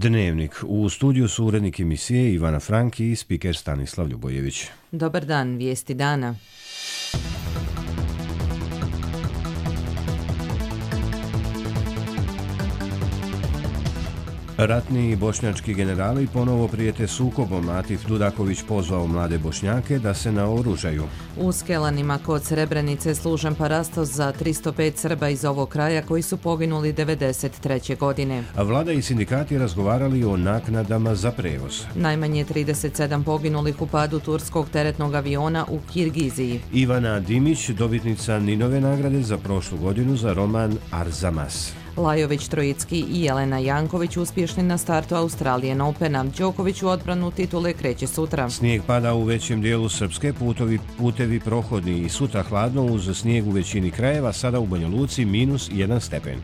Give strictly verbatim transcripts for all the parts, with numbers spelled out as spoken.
Dnevnik. U studiju su urednik emisije Ivana Franki i spiker Stanislav Ljubojević. Dobar dan, vijesti dana. Ratni i bošnjački generali ponovo prijete sukobom. Atif Dudaković pozvao mlade Bošnjake da se naoružaju. U Skelanima kod Srebrenice služen parastos za tristo pet Srba iz ovog kraja koji su poginuli devedeset treće godine. A vlada i sindikati razgovarali o naknadama za prevoz. Najmanje trideset sedam poginulih u padu turskog teretnog aviona u Kirgiziji. Ivana Dimić, dobitnica Ninove nagrade za prošlu godinu za roman Arzamas. Lajović Trojicki i Jelena Janković uspješni na startu Australian Opena. Đoković u odbranu titule kreće sutra. Snijeg pada u većem dijelu Srpske, putovi, putevi prohodni i sutra hladno uz snijeg u većini krajeva, sada u Banja Luci minus jedan stepen.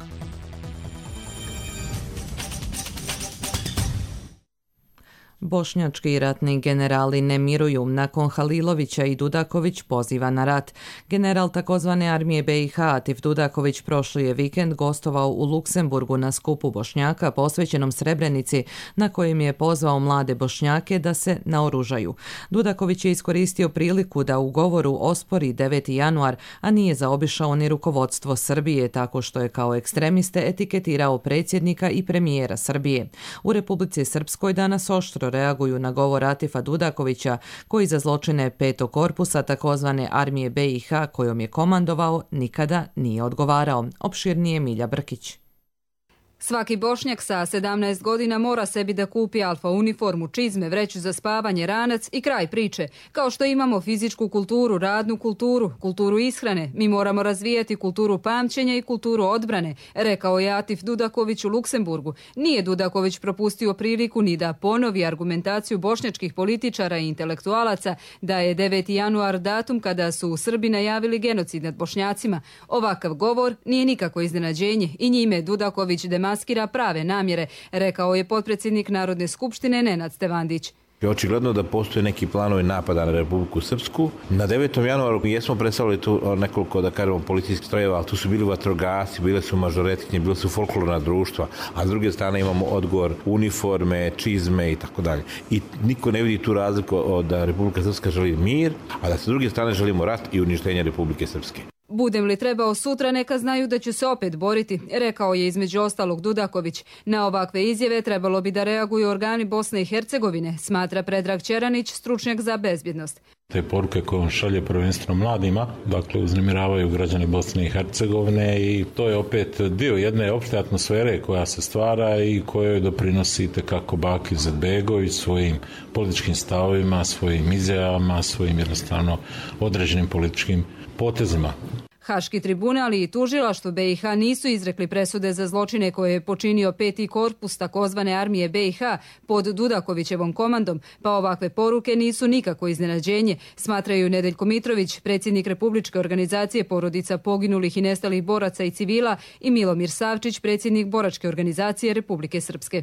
Bošnjački ratni generali ne miruju. Nakon Halilovića i Dudaković poziva na rat. General takozvane armije B i H Atif Dudaković prošli je vikend gostovao u Luksemburgu na skupu Bošnjaka posvećenom Srebrenici, na kojem je pozvao mlade Bošnjake da se naoružaju. Dudaković je iskoristio priliku da u govoru ospori deveti januar, a nije zaobišao ni rukovodstvo Srbije tako što je kao ekstremiste etiketirao predsjednika i premijera Srbije. U Republici Srpskoj danas oštro reaguju na govor Atifa Dudakovića, koji za zločine petog korpusa takozvane armije B i H kojom je komandovao nikada nije odgovarao. Opširnije Milja Brkić. Svaki Bošnjak sa sedamnaest godina mora sebi da kupi alfa uniformu, čizme, vreću za spavanje, ranac i kraj priče. Kao što imamo fizičku kulturu, radnu kulturu, kulturu ishrane, mi moramo razvijati kulturu pamćenja i kulturu odbrane, rekao je Atif Dudaković u Luksemburgu. Nije Dudaković propustio priliku ni da ponovi argumentaciju bošnjačkih političara i intelektualaca da je deveti januar datum kada su Srbi najavili genocid nad Bošnjacima. Ovakav govor nije nikako iznenađenje i njime Dudaković demaskira prave namjere, rekao je potpredsjednik Narodne skupštine Nenad Stevandić. Očigledno da postoje neki planovi napada na Republiku Srpsku. Na devetom januaru jesmo predstavili tu nekoliko, da kažemo, policijskih strojeva, ali tu su bili vatrogasci, bile su mažoretkinje, bile su folklorna društva, a s druge strane imamo odgovor uniforme, čizme i tako dalje. I niko ne vidi tu razliku da Republika Srpska želi mir, a da s druge strane želimo rat i uništenje Republike Srpske. Budem li trebao sutra, neka znaju da ću se opet boriti, rekao je između ostalog Dudaković. Na ovakve izjave trebalo bi da reaguju organi Bosne i Hercegovine, smatra Predrag Ćeranić, stručnjak za bezbjednost. Te poruke koje on šalje prvenstveno mladima, dakle uznemiravaju građane Bosne i Hercegovine i to je opet dio jedne opšte atmosfere koja se stvara i kojoj doprinosi itekako Bakir Izetbegović svojim političkim stavovima, svojim izjavama, svojim jednostavno određenim političkim potezima. Haški tribunal i tužilaštvo B i H nisu izrekli presude za zločine koje je počinio peti korpus takozvane armije B i H pod Dudakovićevom komandom, pa ovakve poruke nisu nikako iznenađenje, smatraju Nedeljko Mitrović, predsjednik Republičke organizacije porodica poginulih i nestalih boraca i civila, i Milomir Savčić, predsjednik Boračke organizacije Republike Srpske.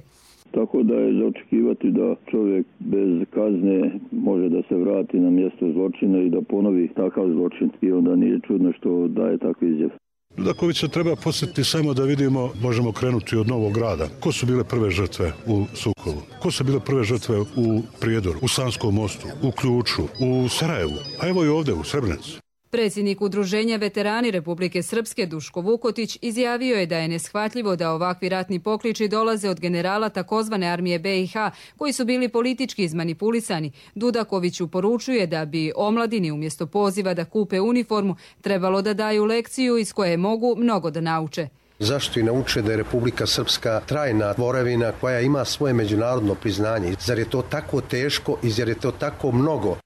Tako da je za očekivati da čovjek bez kazne može da se vrati na mjesto zločina i da ponovi takav zločin. I onda nije čudno što daje takve izjave. Dudakovića treba posjetiti samo da vidimo, možemo krenuti od Novog Grada. Ko su bile prve žrtve u Sukovu? Ko su bile prve žrtve u Prijedoru, u Sanskom mostu, u Ključu, u Sarajevu, a evo i ovdje u Srebrenici? Predsjednik Udruženja veterani Republike Srpske Duško Vukotić izjavio je da je neshvatljivo da ovakvi ratni pokliči dolaze od generala takozvane armije B i H koji su bili politički izmanipulisani. Dudakoviću poručuje da bi omladini umjesto poziva da kupe uniformu trebalo da daju lekciju iz koje mogu mnogo da nauče. Zašto i nauče da je Republika Srpska trajna tvorevina koja ima svoje međunarodno priznanje? Zar je to tako teško i zar je to tako mnogo?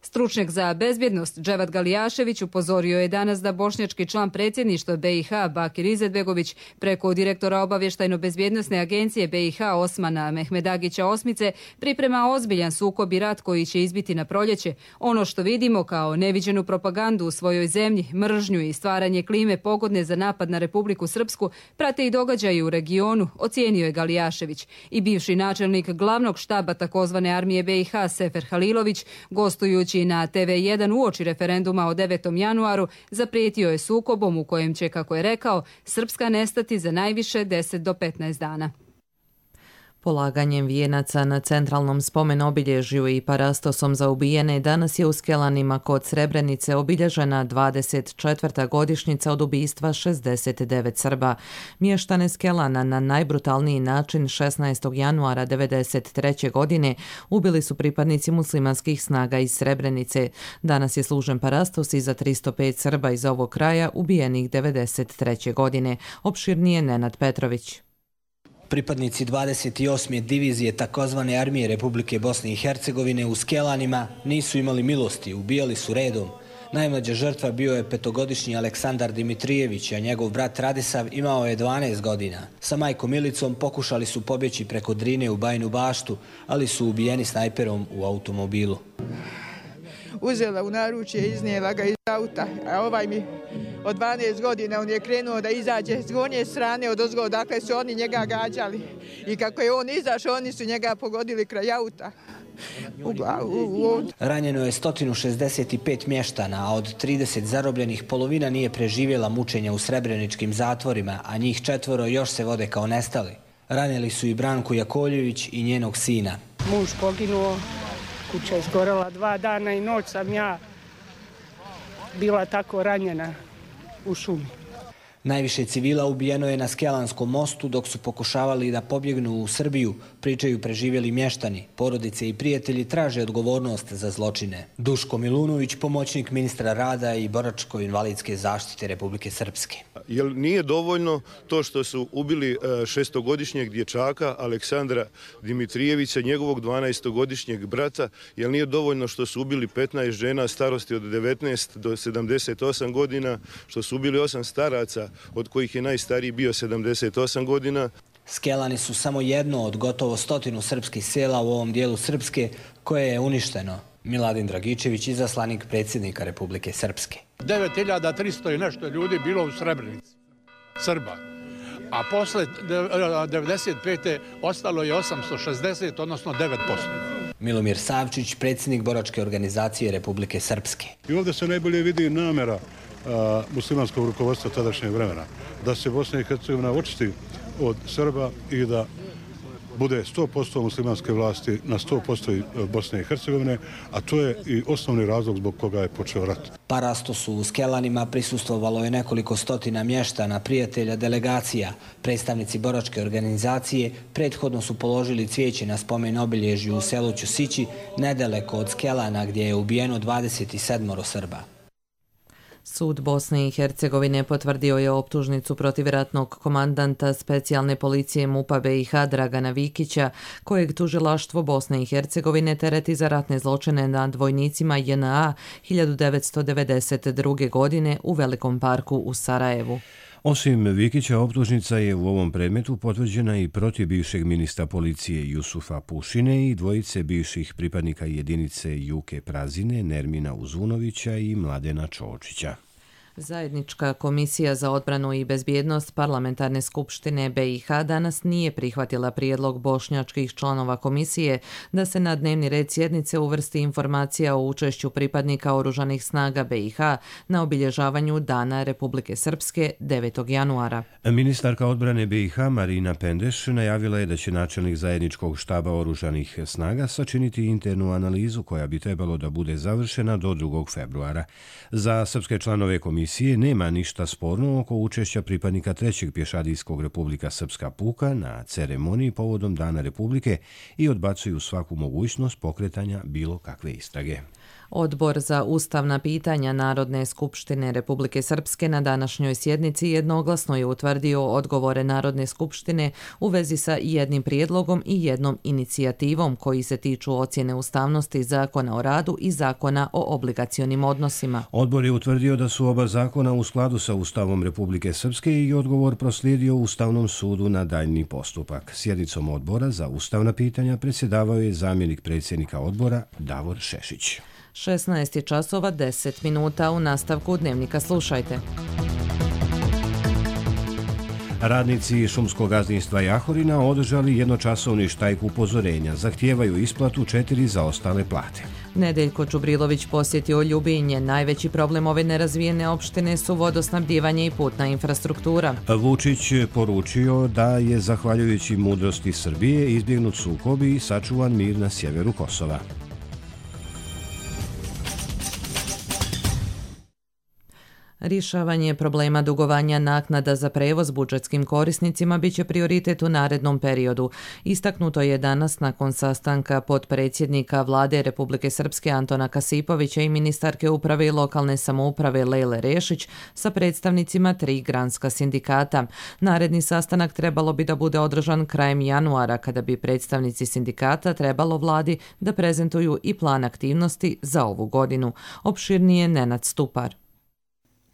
Stručnjak za bezbjednost Dževat Galijašević upozorio je danas da bošnjački član predsjedništva B i H Bakir Izetbegović preko direktora obavještajno-bezbjednosne agencije B i H Osmana Mehmedagića Osmice priprema ozbiljan sukob i rat koji će izbiti na proljeće. Ono što vidimo kao neviđenu propagandu u svojoj zemlji, mržnju i stvaranje klime pogodne za napad na Republiku Srpsku prate i događaji u regionu, ocijenio je Galijašević. I bivši načelnik glavnog štaba takozvane armije B i H Sefer Halilović, gostujući na T V jedan uoči referenduma o devetom januaru, zaprijetio je sukobom u kojem će, kako je rekao, Srpska nestati za najviše deset do petnaest dana. Polaganjem vijenaca na centralnom spomen obilježju i parastosom za ubijene danas je u Skelanima kod Srebrenice obilježena dvadeset četvrta godišnjica od ubistva šezdeset devet Srba. Mještane Skelana na najbrutalniji način šesnaestog januara devedeset treće godine ubili su pripadnici muslimanskih snaga iz Srebrenice. Danas je služen parastos i za tristo pet Srba iz ovog kraja ubijenih devedeset treće godine. Opširnije Nenad Petrović. Pripadnici dvadeset osme divizije takozvane armije Republike Bosne i Hercegovine u Skelanima nisu imali milosti, ubijali su redom. Najmlađa žrtva bio je petogodišnji Aleksandar Dimitrijević, a njegov brat Radisav imao je dvanaest godina. Sa majkom Milicom pokušali su pobjeći preko Drine u Bajinu Baštu, ali su ubijeni snajperom u automobilu. Uzela u naručje, iznijela ga iz auta, a ovaj mi od dvanaest godina on je krenuo da izađe s gornje strane od ozgo, dakle su oni njega gađali. I kako je on izašao, oni su njega pogodili kraj auta. U glavu, u od. Ranjeno je sto šezdeset pet mještana, a od trideset zarobljenih polovina nije preživjela mučenja u srebreničkim zatvorima, a njih četvoro još se vode kao nestali. Ranjeli su i Branku Jakoljević i njenog sina. Muž poginuo, kuća je izgorela dva dana i noć sam ja bila tako ranjena u šumi. Najviše civila ubijeno je na Skelanskom mostu dok su pokušavali da pobjegnu u Srbiju, pričaju preživjeli mještani. Porodice i prijatelji traže odgovornost za zločine. Duško Milunović, pomoćnik ministra rada i boračko-invalidske zaštite Republike Srpske. Jer nije dovoljno to što su ubili šestogodišnjeg dječaka Aleksandra Dimitrijevića, njegovog dvanaestogodišnjeg brata, jer nije dovoljno što su ubili petnaest žena starosti od devetnaest do sedamdeset osam godina, što su ubili osam staraca, od kojih je najstariji bio sedamdeset osam godina. Skelani su samo jedno od gotovo stotinu srpskih sela u ovom dijelu Srpske koje je uništeno. Miladin Dragičević, izaslanik predsjednika Republike Srpske. devet hiljada tristo i nešto ljudi bilo u Srebrenici, Srba. A posle devedeset pete ostalo je osamsto šezdeset, odnosno devet posto. Milomir Savčić, predsjednik boračke organizacije Republike Srpske. I ovdje se najbolje vidi namjera a, muslimanskog rukovodstva tadašnjeg vremena, da se Bosna i Hercegovina očisti od Srba i da bude sto posto muslimanske vlasti na sto posto Bosne i Hercegovine, a to je i osnovni razlog zbog koga je počeo rat. Parastosu u Skelanima prisustvovalo je nekoliko stotina mještana, prijatelja, delegacija. Predstavnici boračke organizacije prethodno su položili cvijeće na spomen obilježju u selu Ćosići, nedaleko od Skelana gdje je ubijeno dvadeset sedam Srba. Sud Bosne i Hercegovine potvrdio je optužnicu protiv ratnog komandanta specijalne policije MUP-a B i H Dragana Vikića, kojeg tužilaštvo Bosne i Hercegovine tereti za ratne zločine nad vojnicima J N A hiljadu devetsto devedeset druge. godine u Velikom parku u Sarajevu. Osim Vikića, optužnica je u ovom predmetu potvrđena i protiv bivšeg ministra policije Jusufa Pušine i dvojice bivših pripadnika jedinice Juke Prazine, Nermina Uzunovića i Mladena Čočića. Zajednička komisija za odbranu i bezbjednost Parlamentarne skupštine B i H danas nije prihvatila prijedlog bošnjačkih članova komisije da se na dnevni red sjednice uvrsti informacija o učešću pripadnika oružanih snaga B i H na obilježavanju Dana Republike Srpske devetog januara. Ministarka odbrane B i H Marina Pendeš najavila je da će načelnik zajedničkog štaba oružanih snaga sačiniti internu analizu koja bi trebalo da bude završena do drugog februara. Za srpske članove komisije Komisije nema ništa sporno oko učešća pripadnika trećeg pješadijskog Republika Srpska puka na ceremoniji povodom Dana Republike i odbacuju svaku mogućnost pokretanja bilo kakve istrage. Odbor za ustavna pitanja Narodne skupštine Republike Srpske na današnjoj sjednici jednoglasno je utvrdio odgovore Narodne skupštine u vezi sa jednim prijedlogom i jednom inicijativom koji se tiču ocjene ustavnosti Zakona o radu i Zakona o obligacionim odnosima. Odbor je utvrdio da su oba zakona u skladu sa Ustavom Republike Srpske i odgovor proslijedio Ustavnom sudu na daljni postupak. Sjednicom odbora za ustavna pitanja predsjedavao je zamjenik predsjednika odbora Davor Šešić. šesnaest je časova deset minuta, u nastavku Dnevnika slušajte. Radnici šumskog gazdinstva Jahorina održali jednočasovni štrajk upozorenja, zahtijevaju isplatu četiri zaostale plate. Nedeljko Čubrilović posjetio Ljubinje. Najveći problem ove nerazvijene opštine su vodosnabdijevanje i putna infrastruktura. Vučić poručio da je zahvaljujući mudrosti Srbije izbjegnut sukob i sačuvan mir na sjeveru Kosova. Rješavanje problema dugovanja naknada za prevoz budžetskim korisnicima biće prioritet u narednom periodu. Istaknuto je danas nakon sastanka potpredsjednika Vlade Republike Srpske Antona Kasipovića i ministarke uprave i lokalne samouprave Lejle Rešić sa predstavnicima tri granska sindikata. Naredni sastanak trebalo bi da bude održan krajem januara, kada bi predstavnici sindikata trebalo Vladi da prezentuju i plan aktivnosti za ovu godinu. Opširnije Nenad Stupar.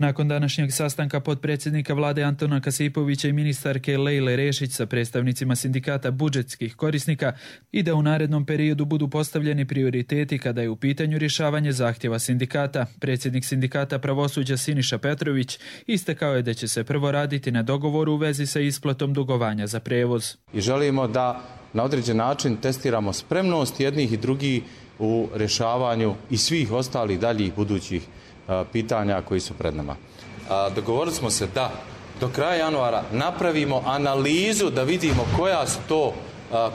Nakon današnjeg sastanka potpredsjednika Vlade Antona Kasipovića i ministarke Lejle Rešić sa predstavnicima sindikata budžetskih korisnika i da u narednom periodu budu postavljeni prioriteti kada je u pitanju rješavanje zahtjeva sindikata, predsjednik sindikata pravosuđa Siniša Petrović istakao je da će se prvo raditi na dogovoru u vezi sa isplatom dugovanja za prevoz. I želimo da na određen način testiramo spremnost jednih i drugih u rješavanju i svih ostalih daljih budućih pitanja koji su pred nama. Dogovorili smo se da do kraja januara napravimo analizu da vidimo koja su to,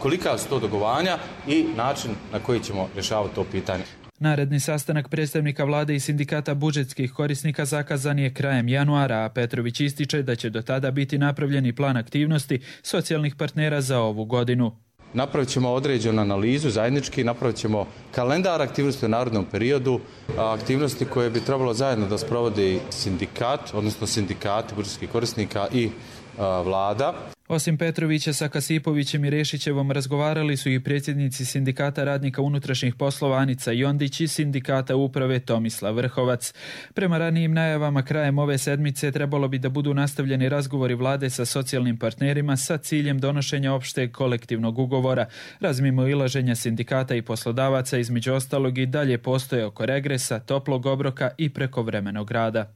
kolika su to dugovanja i način na koji ćemo rješavati to pitanje. Naredni sastanak predstavnika Vlade i sindikata budžetskih korisnika zakazan je krajem januara, a Petrović ističe da će do tada biti napravljeni plan aktivnosti socijalnih partnera za ovu godinu. Napravit ćemo određenu analizu zajednički, napravit ćemo kalendar aktivnosti u narednom periodu, aktivnosti koje bi trebalo zajedno da sprovodi sindikat, odnosno sindikati budžetskih korisnika i a, Vlada. Osim Petrovića, sa Kasipovićem i Rešićevom razgovarali su i predsjednici sindikata radnika unutrašnjih poslova Anica Jondić i sindikata uprave Tomislav Vrhovac. Prema ranijim najavama krajem ove sedmice trebalo bi da budu nastavljeni razgovori Vlade sa socijalnim partnerima sa ciljem donošenja opšteg kolektivnog ugovora. Razmimoilaženja sindikata i poslodavaca između ostalog i dalje postoje oko regresa, toplog obroka i prekovremenog rada.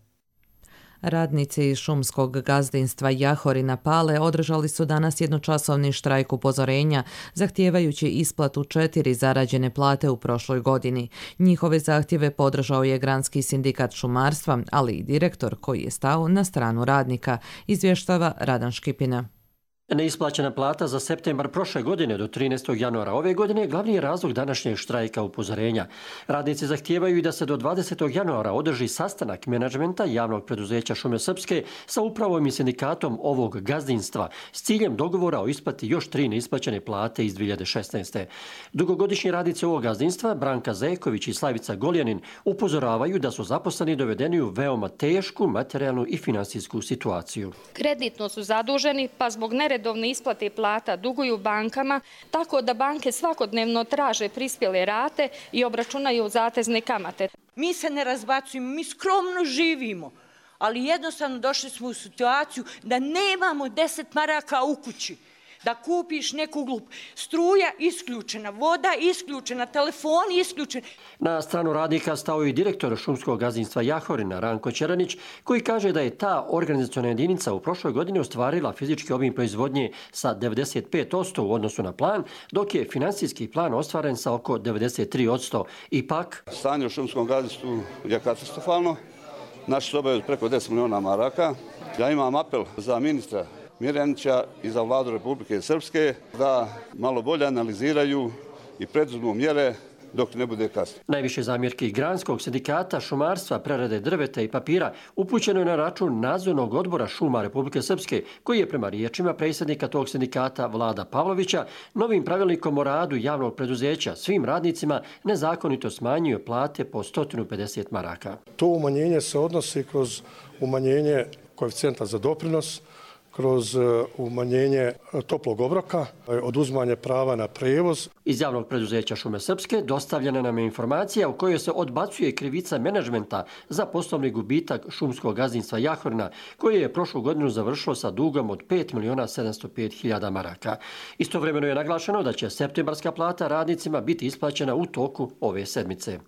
Radnici šumskog gazdinstva Jahorina Pale održali su danas jednočasovni štrajk upozorenja, zahtijevajući isplatu četiri zarađene plate u prošloj godini. Njihove zahtjeve podržao je Granski sindikat šumarstva, ali i direktor koji je stao na stranu radnika, izvještava Radan Škipina. Neisplaćena plata za septembar prošle godine do trinaestog januara ove godine glavni je razlog današnjeg štrajka upozorenja. Radnici zahtijevaju i da se do dvadesetog januara održi sastanak menadžmenta javnog preduzeća Šume Srpske sa upravom i sindikatom ovog gazdinstva s ciljem dogovora o isplati još tri neisplaćene plate iz dvije hiljade šesnaeste. Dugogodišnji radnici ovog gazdinstva, Branka Zeković i Slavica Goljanin, upozoravaju da su zaposleni dovedeni u veoma tešku materijalnu i finansijsku situaciju. Kreditno su zaduženi, pa zbog neredovne isplate plata duguju bankama, tako da banke svakodnevno traže prispjele rate i obračunaju zatezne kamate. Mi se ne razbacujemo, mi skromno živimo, ali jednostavno došli smo u situaciju da nemamo deset maraka u kući. Da kupiš neku glup. Struja isključena, voda isključena, telefon isključen. Na stranu radnika stao i direktor šumskog gazdinstva Jahorina, Ranko Čeranić, koji kaže da je ta organizaciona jedinica u prošloj godini ostvarila fizički obim proizvodnje sa devedeset pet posto u odnosu na plan, dok je finansijski plan ostvaren sa oko devedeset tri posto. Ipak, stanje u šumskom gazdinstvu je katastrofalno. Naši su obavili preko deset miliona maraka. Ja imam apel za ministra Mirjanića i za Vladu Republike Srpske da malo bolje analiziraju i preduzmu mjere dok ne bude kasno. Najviše zamjerki Granskog sindikata šumarstva, prerade drveta i papira upućeno je na račun nadzornog odbora šuma Republike Srpske, koji je prema riječima predsjednika tog sindikata Vlada Pavlovića novim pravilnikom o radu javnog preduzeća svim radnicima nezakonito smanjio plate po sto pedeset maraka. To umanjenje se odnosi kroz umanjenje koeficijenta za doprinos, kroz umanjenje toplog obroka, oduzimanje prava na prevoz. Iz javnog preduzeća Šume Srpske dostavljena nam je informacija u kojoj se odbacuje krivica menadžmenta za poslovni gubitak šumskog gazdinstva Jahorina, koje je prošlu godinu završilo sa dugom od pet miliona sedamsto pet hiljada maraka. Istovremeno je naglašeno da će septembarska plata radnicima biti isplaćena u toku ove sedmice.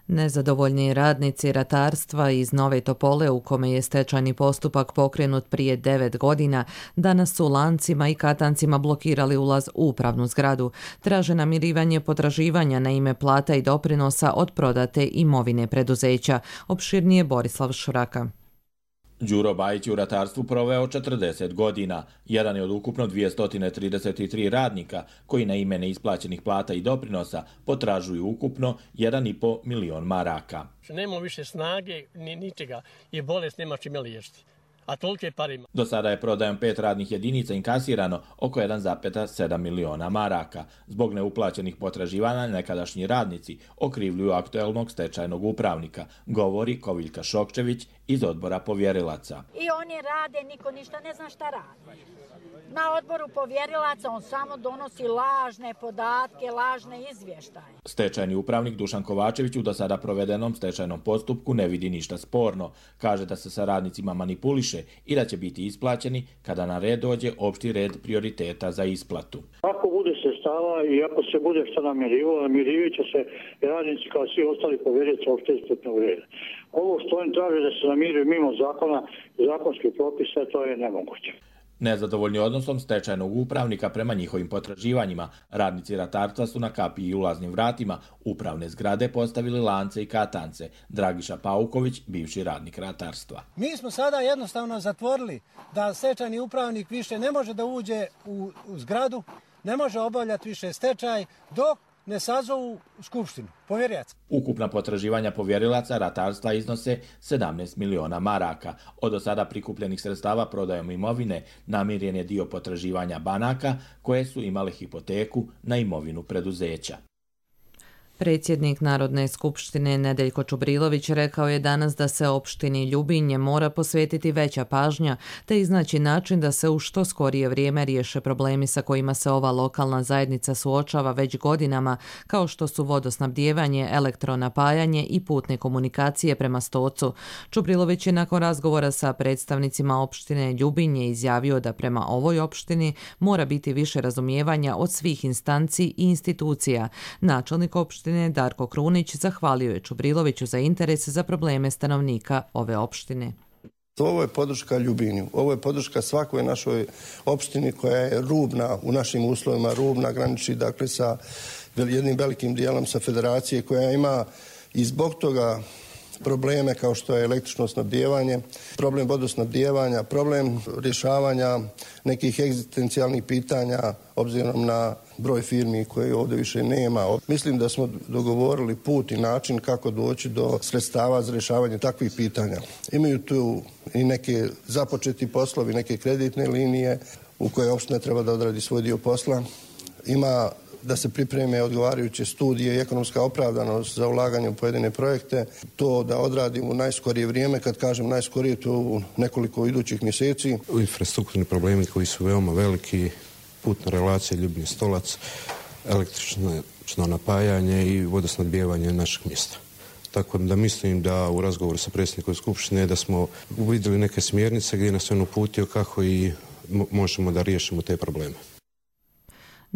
Nezadovoljni radnici ratarstva iz Nove Topole, u kome je stečajni postupak pokrenut prije devet godina, danas su lancima i katancima blokirali ulaz u upravnu zgradu. Traže namirivanje potraživanja na ime plata i doprinosa od prodate imovine preduzeća. Opširnije Borislav Šuraka. Đuro Bajić je u ratarstvu proveo četrdeset godina. Jedan je od ukupno dvjesto trideset tri radnika koji na ime neisplaćenih plata i doprinosa potražuju ukupno jedan i po milion maraka. Nema više snage ni ničega i bolest nema čime liječiti. A tolike pare ima. Do sada je prodajom pet radnih jedinica inkasirano oko jedan zarez sedam miliona maraka. Zbog neuplaćenih potraživanja nekadašnji radnici okrivljuju aktuelnog stečajnog upravnika, govori Koviljka Šokčević iz odbora povjerilaca. I oni rade, niko ništa ne zna šta radi. Na odboru povjerilaca on samo donosi lažne podatke, lažne izvještaje. Stečajni upravnik Dušan Kovačević u do sada provedenom stečajnom postupku ne vidi ništa sporno. Kaže da se sa radnicima manipuliše i da će biti isplaćeni kada na red dođe opšti red prioriteta za isplatu. Ako bude sredstava i ako se bude šta namirivalo, namirivit će se radnici kao svi ostali povjerilaca opšte isplatnog reda. Ovo što oni traže da se namiruju mimo zakona i zakonskih propisa, to je nemoguće. Nezadovoljni odnosom stečajnog upravnika prema njihovim potraživanjima, radnici ratarstva su na kapiji i ulaznim vratima upravne zgrade postavili lance i katance. Dragiša Pauković, bivši radnik ratarstva. Mi smo sada jednostavno zatvorili da stečajni upravnik više ne može da uđe u, u zgradu, ne može obavljati više stečaj dok ne sazovu skupštinu povjerilaca. Ukupna potraživanja povjerilaca ratarstva iznose sedamnaest miliona maraka. Od do sada prikupljenih sredstava prodajom imovine namiren je dio potraživanja banaka koje su imale hipoteku na imovinu preduzeća. Predsjednik Narodne skupštine Nedeljko Čubrilović rekao je danas da se opštini Ljubinje mora posvetiti veća pažnja te iznaći način da se u što skorije vrijeme riješe problemi sa kojima se ova lokalna zajednica suočava već godinama, kao što su vodosnabdijevanje, elektronapajanje i putne komunikacije prema Stocu. Čubrilović je nakon razgovora sa predstavnicima opštine Ljubinje izjavio da prema ovoj opštini mora biti više razumijevanja od svih instanci i institucija. Načelnik opštine Darko Krunić zahvalio je Čubriloviću za interes za probleme stanovnika ove opštine. Ovo je podrška Ljubinju, ovo je podrška svakoj našoj opštini koja je rubna u našim uslovima, rubna, graniči dakle sa jednim velikim dijelom sa federacije koja ima i zbog toga probleme kao što je električno snabdijevanje, problem vodosnabdijevanja, problem rješavanja nekih egzistencijalnih pitanja obzirom na broj firmi koje ovdje više nema. Mislim da smo dogovorili put i način kako doći do sredstava za rješavanje takvih pitanja. Imaju tu i neke započeti poslovi, neke kreditne linije u koje opština treba da odradi svoj dio posla. Ima da se pripreme odgovarajuće studije i ekonomska opravdanost za ulaganje u pojedine projekte. To da odradimo u najskorije vrijeme, kad kažem najskorije, to u nekoliko idućih mjeseci. Infrastrukturni problemi koji su veoma veliki, putna relacija Ljubinje-Stolac, električno napajanje i vodosnabdijevanje našeg mjesta. Tako da mislim da u razgovoru sa predsjednikom Skupštine da smo uvidjeli neke smjernice gdje nas on uputio kako i možemo da riješimo te probleme.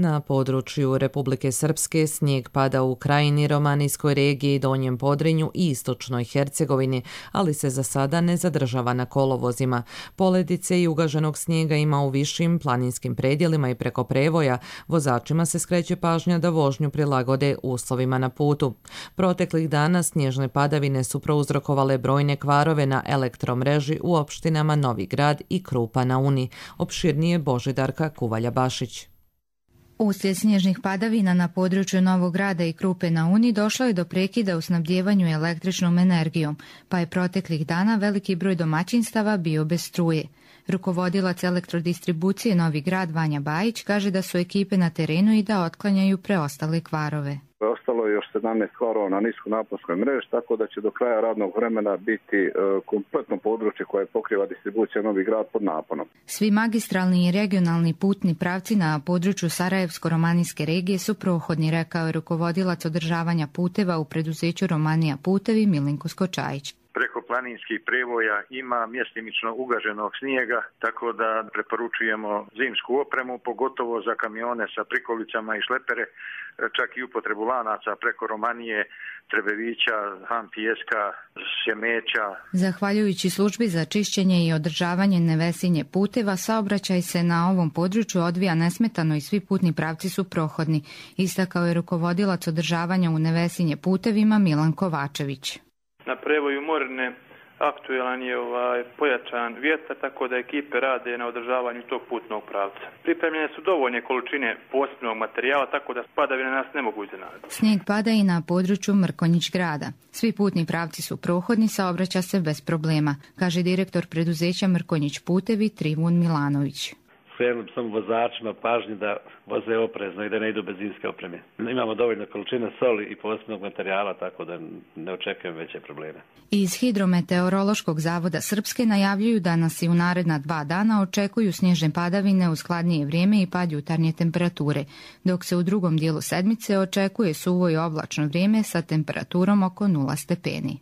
Na području Republike Srpske snijeg pada u Krajini, Romanijskoj regiji, Donjem Podrinju i Istočnoj Hercegovini, ali se za sada ne zadržava na kolovozima. Poledice i ugaženog snijega ima u višim planinskim predjelima i preko prevoja. Vozačima se skreće pažnja da vožnju prilagode uslovima na putu. Proteklih dana snježne padavine su prouzrokovale brojne kvarove na elektromreži u opštinama Novi Grad i Krupa na Uni. Opširnije Božidarka Kuvalja-Bašić. Uslijed snježnih padavina na području Novog Grada i Krupe na Uni došlo je do prekida u snabdjevanju električnom energijom, pa je proteklih dana veliki broj domaćinstava bio bez struje. Rukovodilac elektrodistribucije Novi Grad Vanja Bajić kaže da su ekipe na terenu i da otklanjaju preostale kvarove. Ostalo je još sedamnaest kvarova na niskonaponskoj mreži, tako da će do kraja radnog vremena biti e, kompletno područje koje pokriva distribucija Novi Grad pod naponom. Svi magistralni i regionalni putni pravci na području Sarajevsko-Romanijske regije su prohodni, rekao je rukovodilac održavanja puteva u preduzeću Romanija putevi Milenko Skočajić. preko planinskih prevoja ima mjestimično ugaženog snijega, tako da preporučujemo zimsku opremu, pogotovo za kamione sa prikolicama i šlepere, čak i upotrebu lanaca preko Romanije, Trebevića, Han pijeska, Sjemeća. Zahvaljujući službi za čišćenje i održavanje nevesinje puteva, saobraćaj se na ovom području odvija nesmetano i svi putni pravci su prohodni, istakao je rukovodilac održavanja u nevesinje putevima Milan Kovačević. Na prevoju Morne aktualan je ovaj pojačan vjetar, tako da ekipe rade na održavanju tog putnog pravca. Pripremljene su dovoljne količine posebnog materijala, tako da padavine nas ne mogu iznenaditi. Snijeg pada i na području Mrkonjić grada. Svi putni pravci su prohodni, saobraća se bez problema, kaže direktor preduzeća Mrkonjić putevi Trivun Milanović. Skrenuo sam vozačima pažnju da voze oprezno i da ne idu bez zimske opreme. Imamo dovoljno količine soli i posebnog materijala, tako da ne očekujem veće probleme. Iz Hidrometeorološkog zavoda Srpske najavljuju da nas i u naredna dva dana očekuju snježne padavine uz hladnije vrijeme i pad jutarnje temperature, dok se u drugom dijelu sedmice očekuje suvo i oblačno vrijeme sa temperaturom oko nula stepeni.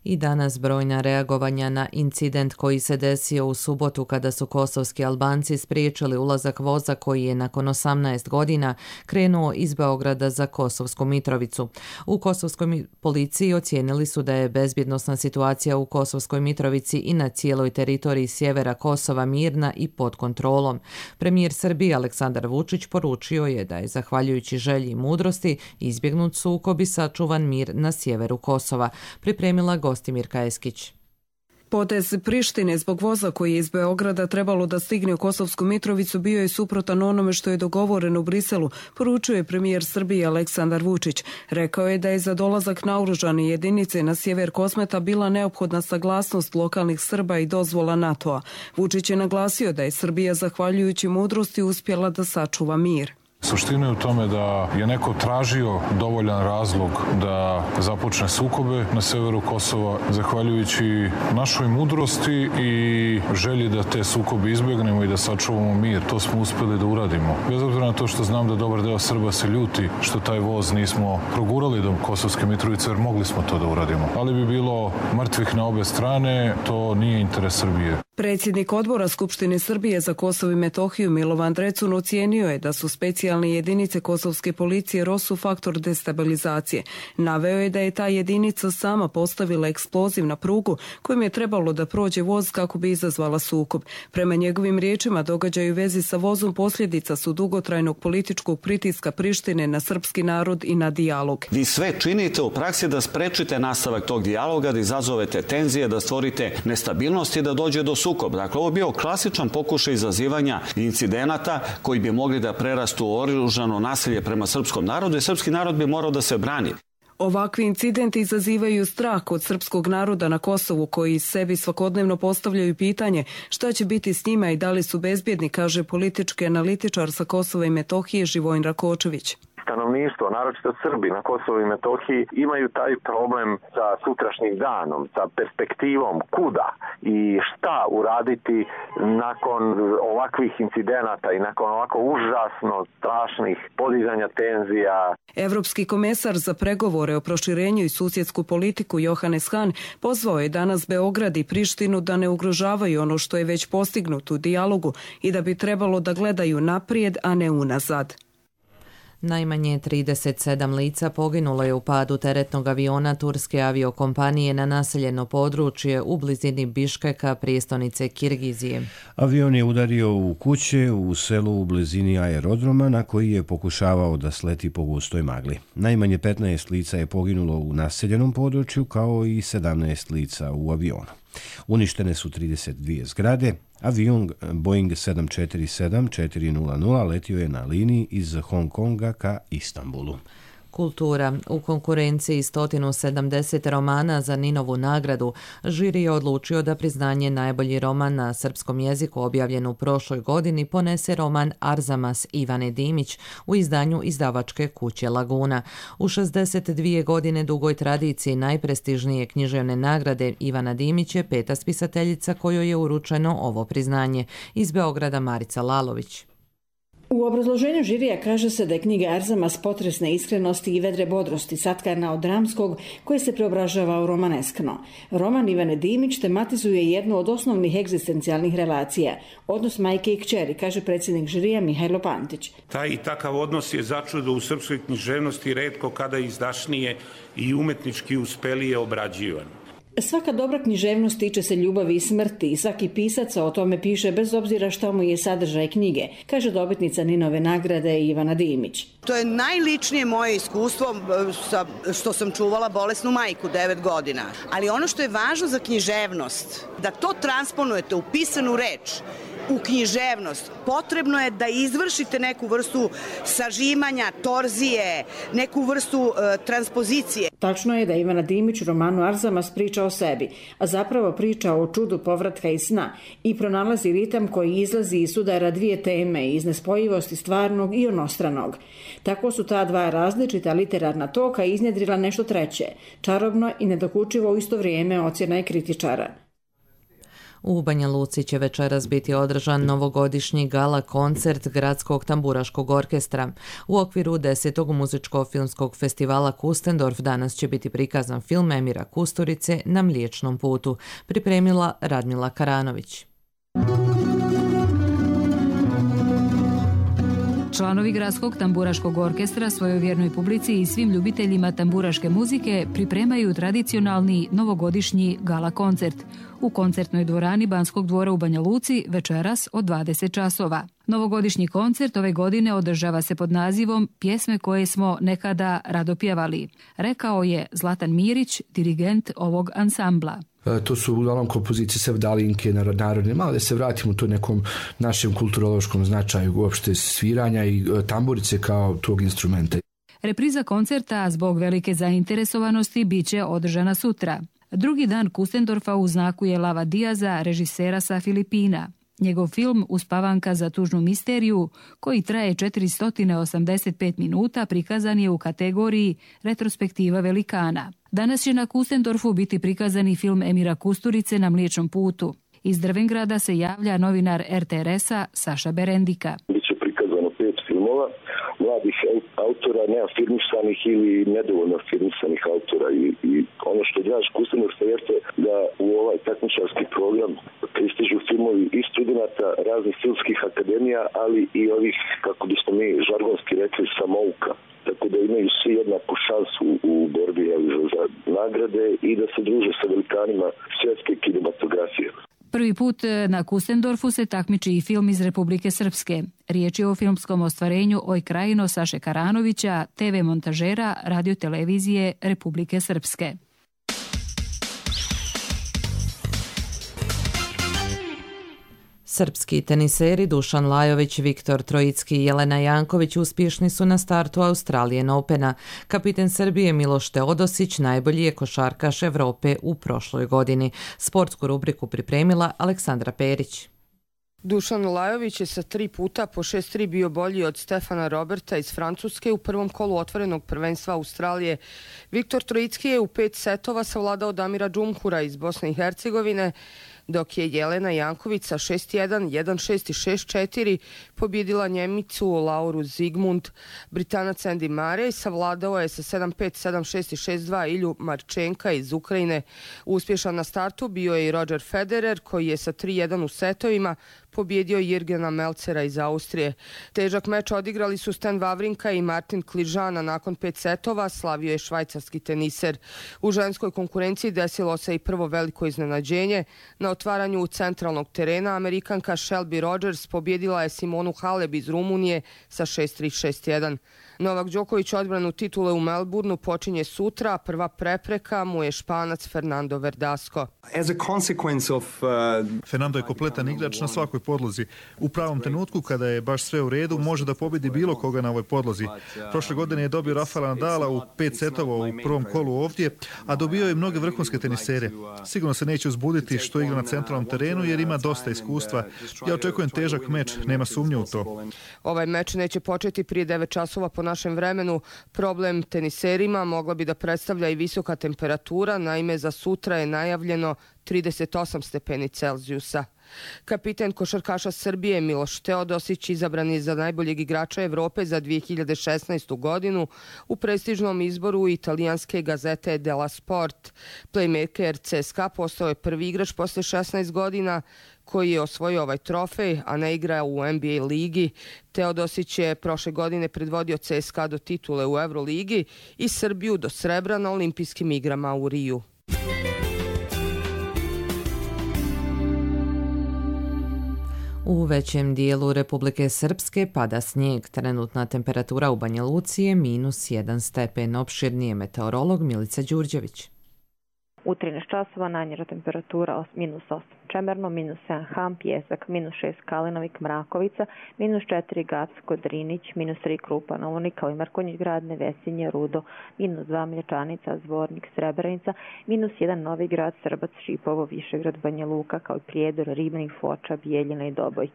I danas brojna reagovanja na incident koji se desio u subotu kada su kosovski Albanci spriječili ulazak voza koji je nakon osamnaest godina krenuo iz Beograda za Kosovsku Mitrovicu. U kosovskoj policiji ocijenili su da je bezbjednosna situacija u Kosovskoj Mitrovici i na cijeloj teritoriji sjevera Kosova mirna i pod kontrolom. Premijer Srbije Aleksandar Vučić poručio je da je zahvaljujući želji i mudrosti izbjegnut sukob i sačuvan mir na sjeveru Kosova. Pripremila Gostimirka Eskić. Potez Prištine zbog voza koji je iz Beograda trebalo da stigne u Kosovsku Mitrovicu bio je suprotan onome što je dogovoreno u Briselu, poručuje premijer Srbije Aleksandar Vučić. Rekao je da je za dolazak naoružane jedinice na sjever Kosmeta bila neophodna saglasnost lokalnih Srba i dozvola NATO-a. Vučić je naglasio da je Srbija zahvaljujući mudrosti uspjela da sačuva mir. Suština je u tome da je neko tražio dovoljan razlog da započne sukobe na severu Kosova. Zahvaljujući našoj mudrosti i želji da te sukobe izbjegnemo i da sačuvamo mir, to smo uspjeli da uradimo. Bez obzira na to što znam da dobar deo Srba se ljuti što taj voz nismo progurali do Kosovske Mitrovice, jer mogli smo to da uradimo. Ali bi bilo mrtvih na obe strane, to nije interes Srbije. Predsjednik odbora Skupštine Srbije za Kosovo i Metohiju Milovan Drecun ocijenio je da su specijalne jedinice kosovske policije ROSU faktor destabilizacije. Naveo je da je ta jedinica sama postavila eksploziv na prugu kojim je trebalo da prođe voz kako bi izazvala sukob. Prema njegovim riječima događaju u vezi sa vozom posljedica su dugotrajnog političkog pritiska Prištine na srpski narod i na dijalog. Vi sve činite u praksi da sprečite nastavak tog dijaloga, da izazovete tenzije, da stvorite nestabilnost i da dođe do sukob. Dakle, ovo je bio klasičan pokušaj izazivanja incidenata koji bi mogli da prerastu u oružano nasilje prema srpskom narodu i srpski narod bi morao da se brani. Ovakvi incidenti izazivaju strah kod srpskog naroda na Kosovu koji sebi svakodnevno postavljaju pitanje šta će biti s njima i da li su bezbjedni, kaže politički analitičar sa Kosova i Metohije Živojin Rakočević. Stanovništvo, naročito Srbi na Kosovu i Metohiji, imaju taj problem sa sutrašnjim danom, sa perspektivom kuda i šta uraditi nakon ovakvih incidenata i nakon ovako užasno strašnih podizanja tenzija. Evropski komesar za pregovore o proširenju i susjedsku politiku Johannes Hahn pozvao je danas Beograd i Prištinu da ne ugrožavaju ono što je već postignuto u dijalogu i da bi trebalo da gledaju naprijed, a ne unazad. Najmanje trideset sedam lica poginulo je u padu teretnog aviona turske aviokompanije na naseljeno područje u blizini Biškeka, prijestolnice Kirgizije. Avion je udario u kuće u selu u blizini aerodroma na koji je pokušavao da sleti po gustoj magli. Najmanje petnaest lica je poginulo u naseljenom području kao i sedamnaest lica u avionu. Uništene su trideset dvije zgrade. Avion Boeing sedam četiri sedam četiri nula nula letio je na liniji iz Hong Konga ka Istanbulu. Kultura. U konkurenciji sto sedamdeset romana za Ninovu nagradu žiri je odlučio da priznanje najbolji roman na srpskom jeziku objavljen u prošloj godini ponese roman Arzamas Ivane Dimić u izdanju izdavačke kuće Laguna. U šezdeset dvije godine dugoj tradiciji najprestižnije književne nagrade Ivana Dimić je peta spisateljica kojoj je uručeno ovo priznanje. Iz Beograda Marica Lalović. U obrazloženju žirija kaže se da je knjiga Arzamas potresne iskrenosti i vedre bodrosti satkana od dramskog koje se preobražava u romaneskno. Roman Ivane Dimić tematizuje jednu od osnovnih egzistencijalnih relacija, odnos majke i kćeri, kaže predsjednik žirija Mihajlo Pantić. Taj i takav odnos je začudo u srpskoj književnosti retko kada izdašnije i umetnički uspelije obrađivan. Svaka dobra književnost tiče se ljubavi i smrti i svaki pisac o tome piše bez obzira što mu je sadržaj knjige, kaže dobitnica Ninove nagrade Ivana Dimić. To je najličnije moje iskustvo sa, što sam čuvala bolesnu majku devet godina. Ali ono što je važno za književnost, da to transponujete u pisanu reč, u književnost, potrebno je da izvršite neku vrstu sažimanja, torzije, neku vrstu e, transpozicije. Tačno je da Ivana Dimić u romanu Arzamas priča o sebi, a zapravo priča o čudu povratka iz sna i pronalazi ritam koji izlazi iz sudara dvije teme, iz nespojivosti stvarnog i onostranog. Tako su ta dva različita literarna toka iznjedrila nešto treće, čarobno i nedokučivo u isto vrijeme, ocjena je kritičara. U Banja Luci će večeras biti održan novogodišnji gala koncert Gradskog tamburaškog orkestra. U okviru desetog muzičko-filmskog festivala Kustendorf danas će biti prikazan film Emira Kusturice Na mliječnom putu, pripremila Radmila Karanović. Članovi Gradskog tamburaškog orkestra svojoj vjernoj publici i svim ljubiteljima tamburaške muzike pripremaju tradicionalni novogodišnji gala koncert u koncertnoj dvorani Banskog dvora u Banja Luci večeras od dvadeset časova. Novogodišnji koncert ove godine održava se pod nazivom Pjesme koje smo nekada rado pjevali, rekao je Zlatan Mirić, dirigent ovog ansambla. To su uglavnom kompozicije sevdalinke, narodne, malo da se vratimo u to nekom našem kulturološkom značaju uopšte sviranja i tamburice kao tog instrumenta. Repriza koncerta zbog velike zainteresovanosti bit će održana sutra. Drugi dan Kustendorfa u znaku je Lava Diaza, režisera sa Filipina. Njegov film Uspavanka za tužnu misteriju, koji traje četiristo osamdeset pet minuta, prikazan je u kategoriji Retrospektiva velikana. Danas će na Kustendorfu biti prikazani film Emira Kusturice Na mliječnom putu. Iz Drvengrada se javlja novinar er te er es-a Saša Berendika. Biće prikazano pet filmova mladih autora, neafirmisanih ili nedovoljno afirmisanih autora. I, i ono što je draž Kustendorfa jeste da u ovaj takmičarski program pristižu filmovi i studenta raznih filmskih akademija, ali i ovih, kako bismo mi žargonski rekli, samouka. Tako da imaju svi jednaku šansu u borbi za, za nagrade i da se druže sa velikanima svjetske kinematografije. Prvi put na Kustendorfu se takmiči i film iz Republike Srpske. Riječ je o filmskom ostvarenju Oj Krajino Saše Karanovića, te ve montažera radiotelevizije Republike Srpske. Srpski teniseri Dušan Lajović, Viktor Trojicki i Jelena Janković uspješni su na startu Australian Opena. Kapiten Srbije Miloš Teodosić najbolji je košarkaš Evrope u prošloj godini. Sportsku rubriku pripremila Aleksandra Perić. Dušan Lajović je sa tri puta po šest tri bio bolji od Stefana Roberta iz Francuske u prvom kolu otvorenog prvenstva Australije. Viktor Trojicki je u pet setova savladao Damira Džumhura iz Bosne i Hercegovine, dok je Jelena Janković sa šest jedan, jedan šest i šest četiri pobjedila Njemicu Lauru Zigmund. Britanac Andy Murray savladao je sa sedam pet, sedam šest i šest dva Ilju Marčenka iz Ukrajine. Uspješan na startu bio je i Roger Federer, koji je sa tri jedan u setovima pobjedio Jirgena Melcera iz Austrije. Težak meč odigrali su Stan Wawrinka i Martin Kližana. Nakon pet setova slavio je švajcarski teniser. U ženskoj konkurenciji desilo se i prvo veliko iznenađenje. Na otvaranju centralnog terena Amerikanka Shelby Rogers pobjedila je Simonu Halep iz Rumunije sa šest tri, šest jedan. Novak Đoković odbranu titule u Melbourneu počinje sutra, prva prepreka mu je Španac Fernando Verdasco. Of, uh... Fernando je kompletan igrač na svakoj podlozi. U pravom trenutku, kada je baš sve u redu, može da pobjedi bilo koga na ovoj podlozi. Prošle godine je dobio Rafaela Nadala u pet setova u prvom kolu ovdje, a dobio je mnoge vrhunske tenisere. Sigurno se neće uzbuditi što igra na centralnom terenu jer ima dosta iskustva. Ja očekujem težak meč, nema sumnje u to. Ovaj meč neće početi prije devet časova po našem vremenu. Problem teniserima mogla bi da predstavlja i visoka temperatura, naime za sutra je najavljeno trideset osam stepeni Celzijusa. Kapiten košarkaša Srbije Miloš Teodosić izabran je za najboljeg igrača Evrope za dvije hiljade šesnaestu godinu u prestižnom izboru italijanske gazete Della Sport. Playmaker C S K A postao je prvi igrač posle šesnaest godina koji je osvojio ovaj trofej, a ne igra u N B A ligi. Teodosić je prošle godine predvodio C S K A do titule u Euroligi i Srbiju do srebra na olimpijskim igrama u Riju. U većem dijelu Republike Srpske pada snijeg. Trenutna temperatura u Banja Luci je minus jedan stepen. Opširnije meteorolog Milica Đurđević. U trinaest časova najniža temperatura minus osam Čemerno, minus sedam Ham, Pjesak, minus šest Kalinovik, Mrakovica, minus četiri Gacko, Drinić, minus tri Krupa na Uni, kao i Markonjić grad, Nevesinje, Rudo, minus dva Mlječanica, Zvornik, Srebrenica, minus jedan Novi grad, Srbac, Šipovo, Višegrad, Banja Luka, kao i Prijedor, Ribnik, Foča, Bijeljina i Doboj.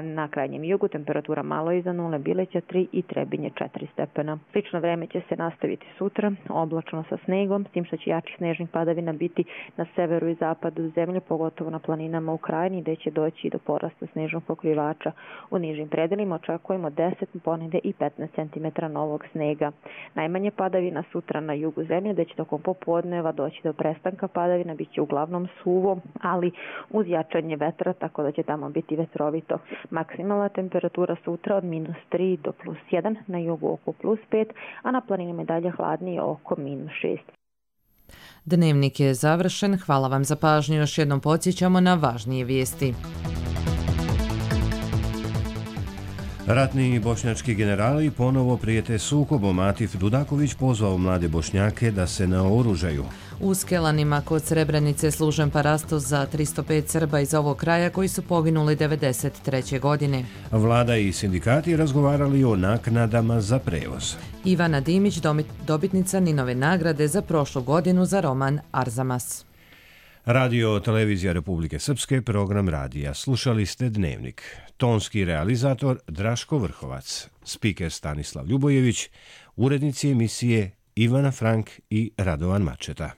Na krajnjem jugu temperatura malo iza nule, Bileća tri i Trebinje četiri stepena. Slično vreme će se nastaviti sutra, oblačno sa snegom, s tim što će jačih snežnih padavina biti na severu i zapadu zemlje, pogotovo na planinama u Krajini, gde će doći do porasta snežnog pokrivača. U nižim predelima očekujemo deset, ponegde i petnaest centimetara novog snega. Najmanje padavina sutra na jugu zemlje, gde će tokom popodneva doći do prestanka padavina, bit će uglavnom suvo, ali uz jačanje vetra, tako da će tamo biti vetrovito. Maksimalna temperatura sutra od minus tri do plus jedan, na jugu oko plus pet, a na planinama je dalje hladnije oko minus šest. Dnevnik je završen. Hvala vam za pažnju. Još jednom podsjećamo na važnije vijesti. Ratni bošnjački generali ponovo prijete sukobom. Atif Dudaković pozvao mlade Bošnjake da se naoružaju. U Skelanima kod Srebrenice služen parastos za tristo pet Srba iz ovog kraja koji su poginuli devedeset treće godine. Vlada i sindikati razgovarali o naknadama za prevoz. Ivana Dimić, dobitnica Ninove nagrade za prošlu godinu za roman Arzamas. Radio Televizija Republike Srpske, program radija. Slušali ste Dnevnik. Tonski realizator Draško Vrhovac, spiker Stanislav Ljubojević, urednici emisije Ivana Frank i Radovan Mačeta.